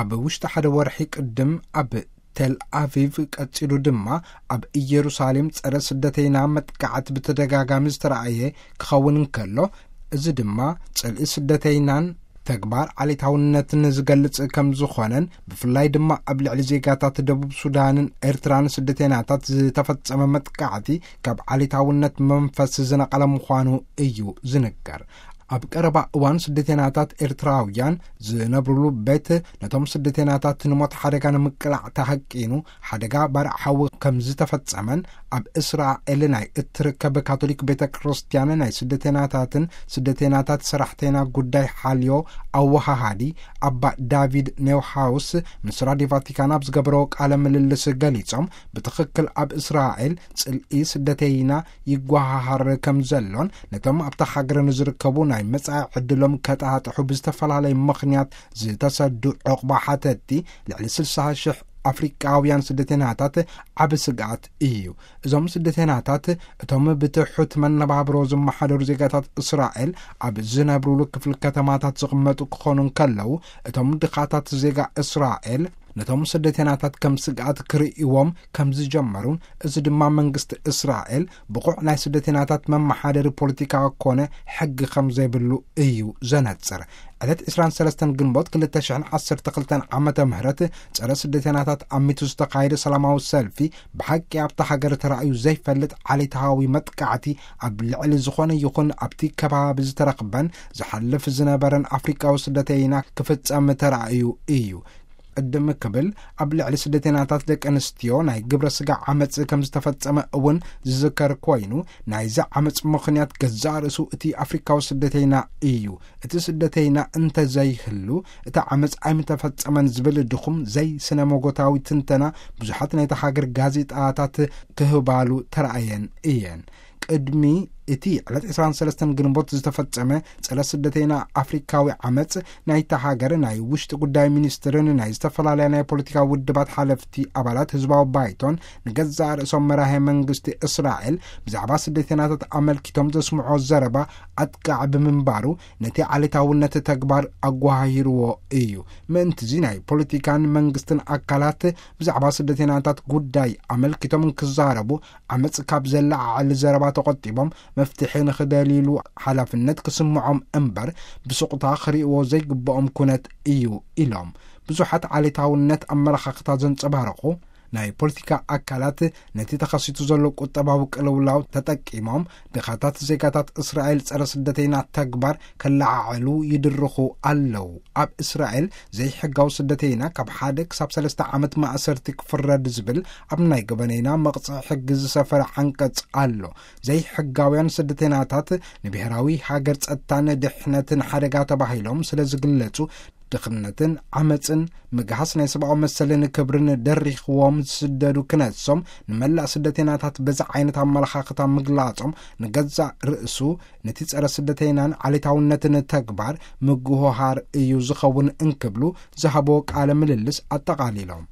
ኣብ ውሽጢ ሓደ ወርሒ ቅድም ኣብ ቴል ኣቪቭ፣ ቀጺሉ ድማ ኣብ ኢየሩሳሌም ጸረ ስደተይና መጥቃዕቲ ብተደጋጋሚ ዝተራእየ ክኸውን እንከሎ፣ እዚ ድማ ጽልኢ ስደተይናን ተግባር ዓሌታውነትን ዝገልጽ ከም ዝኾነን፣ ብፍላይ ድማ ኣብ ልዕሊ ዜጋታት ደቡብ ሱዳንን ኤርትራን ስደተይናታት ዝተፈጸመ መጥቃዕቲ ካብ ዓሌታውነት መንፈስ ዝነቐለ ምዃኑ እዩ ዝንገር። ኣብ ቀረባ እዋን ስደተይናታት ኤርትራውያን ዝነብሩሉ ቤት ነቶም ስደተይናታት ንሞት ሓደጋ ንምቅላዕ ተሃቂኑ ሓደጋ ባርዕ ሓዊ ከም ዝተፈጸመን፣ ኣብ እስራኤል ናይ እትርከብ ካቶሊክ ቤተ ክርስቲያን ናይ ስደተይናታትን ስደተይናታት ሰራሕተይና ጉዳይ ሓልዮ ኣወሃሃዲ ኣባ ዳቪድ ኔውሃውስ ምስ ራዲዮ ቫቲካን ኣብ ዝገበረዎ ቃለ ምልልስ ገሊጾም፣ ብትኽክል ኣብ እስራኤል ጽልኢ ስደተይና ይጓሃሃር ከም ዘሎን፣ ነቶም ኣብታ ሃገር ንዝርከቡ ናይ መጻኢ ዕድሎም ከጣጥሑ ብዝተፈላለየ ምኽንያት ዝተሰዱ ዕቑባ ሓተቲ ልዕሊ ስልሳ ሽሕ ኣፍሪቃውያን ስደተይናታት ዓቢ ስግኣት እዩ። እዞም ስደተይናታት እቶም ብትሑት መነባብሮ ዝመሓደሩ ዜጋታት እስራኤል ኣብ ዝነብሩሉ ክፍሊ ከተማታት ዝቕመጡ ክኾኑ እንከለዉ፣ እቶም ድኻታት ዜጋ እስራኤል ነቶም ስደተይናታት ከም ስግኣት ክርእይዎም ከም ዝጀመሩን፣ እዚ ድማ መንግስቲ እስራኤል ብቑዕ ናይ ስደተይናታት መመሓደሪ ፖለቲካ ኮነ ሕጊ ከም ዘይብሉ እዩ ዘነጽር። ዕለት ዕስራን ሰለስተን ግንቦት ክልተ ሽሕን ዓሰርተ ክልተን ዓመተ ምህረት ጸረ ስደተይናታት ኣሚቱ ዝተኻየደ ሰላማዊ ሰልፊ፣ ብሓቂ ኣብታ ሃገር ተራእዩ ዘይፈልጥ ዓሌታዊ መጥቃዕቲ ኣብ ልዕሊ ዝኾነ ይኹን ኣብቲ ከባቢ ዝተረኽበን ዝሓልፍ ዝነበረን ኣፍሪቃዊ ስደተይና ክፍጸም ተራእዩ እዩ። ቅድም ክብል ኣብ ልዕሊ ስደተይናታት ደቂ ኣንስትዮ ናይ ግብረ ስጋ ዓመጽ ከም ዝተፈጸመ እውን ዝዝከር ኮይኑ፣ ናይዚ ዓመጽ ምኽንያት ገዛእ ርእሱ እቲ ኣፍሪካዊ ስደተይና እዩ። እቲ ስደተይና እንተዘይህሉ እቲ ዓመጽ ኣይምተፈጸመን ዝብል ድኹም ዘይስነ መጎታዊ ትንተና ብዙሓት ናይታ ሃገር ጋዜጣታት ክህባሉ ተራእየን እየን። ቅድሚ እቲ ዕለት ዕስራን ሰለስተን ግንቦት ዝተፈጸመ ጸረ ስደተይና ኣፍሪካዊ ዓመጽ፣ ናይታ ሃገር ናይ ውሽጢ ጉዳይ ሚኒስትርን ናይ ዝተፈላለያ ናይ ፖለቲካ ውድባት ሓለፍቲ ኣባላት ህዝባዊ ባይቶን ንገዛእ ርእሶም መራሄ መንግስቲ እስራኤል ብዛዕባ ስደተይናታት ኣመልኪቶም ዘስምዖ ዘረባ ኣጥቃዕ ብምንባሩ፣ ነቲ ዓሌታውነት ተግባር ኣጓሃሂርዎ እዩ። ምእንትዚ ናይ ፖለቲካን መንግስትን ኣካላት ብዛዕባ ስደተይናታት ጉዳይ ኣመልኪቶም እንክዛረቡ፣ ዓመጽ ካብ ዘለዓዕል ዘረባ ተቖጢቦም፣ መፍትሒ ንኽደልይሉ ሓላፍነት ክስምዖም እምበር፣ ብስቑታ ክርእይዎ ዘይግብኦም ኩነት እዩ ኢሎም። ብዙሓት ዓሌታውነት ኣመለኻኽታ ዘንጸባረቑ ናይ ፖለቲካ ኣካላት፣ ነቲ ተኸሲቱ ዘሎ ቁጠባዊ ቅልውላው ተጠቂሞም፣ ድኻታት ዜጋታት እስራኤል ጸረ ስደተይና ተግባር ከለዓዕሉ ይድርኹ ኣለዉ። ኣብ እስራኤል ዘይሕጋዊ ስደተይና ካብ ሓደ ክሳብ ሰለስተ ዓመት ማእሰርቲ ክፍረድ ዝብል ኣብ ናይ ገበነይና መቕጽዒ ሕጊ ዝሰፈረ ዓንቀጽ ኣሎ። ዘይሕጋውያን ስደተይናታት ንብሔራዊ ሃገር ጸጥታን ድሕነትን ሓደጋ ተባሂሎም ስለ ዝግለጹ፣ ድኽነትን ዓመጽን ምግሃስ ናይ ሰብኣዊ መሰልን ክብርን ደሪኽዎም ዝስደዱ ክነሶም፣ ንመላእ ስደተይናታት በዚ ዓይነት ኣመለኻኽታ ምግላጾም ንገዛእ ርእሱ ነቲ ጸረ ስደተይናን ዓሌታውነትን ተግባር ምግሆሃር እዩ ዝኸውን እንክብሉ ዝሃቦ ቃለ ምልልስ ኣጠቓሊሎም።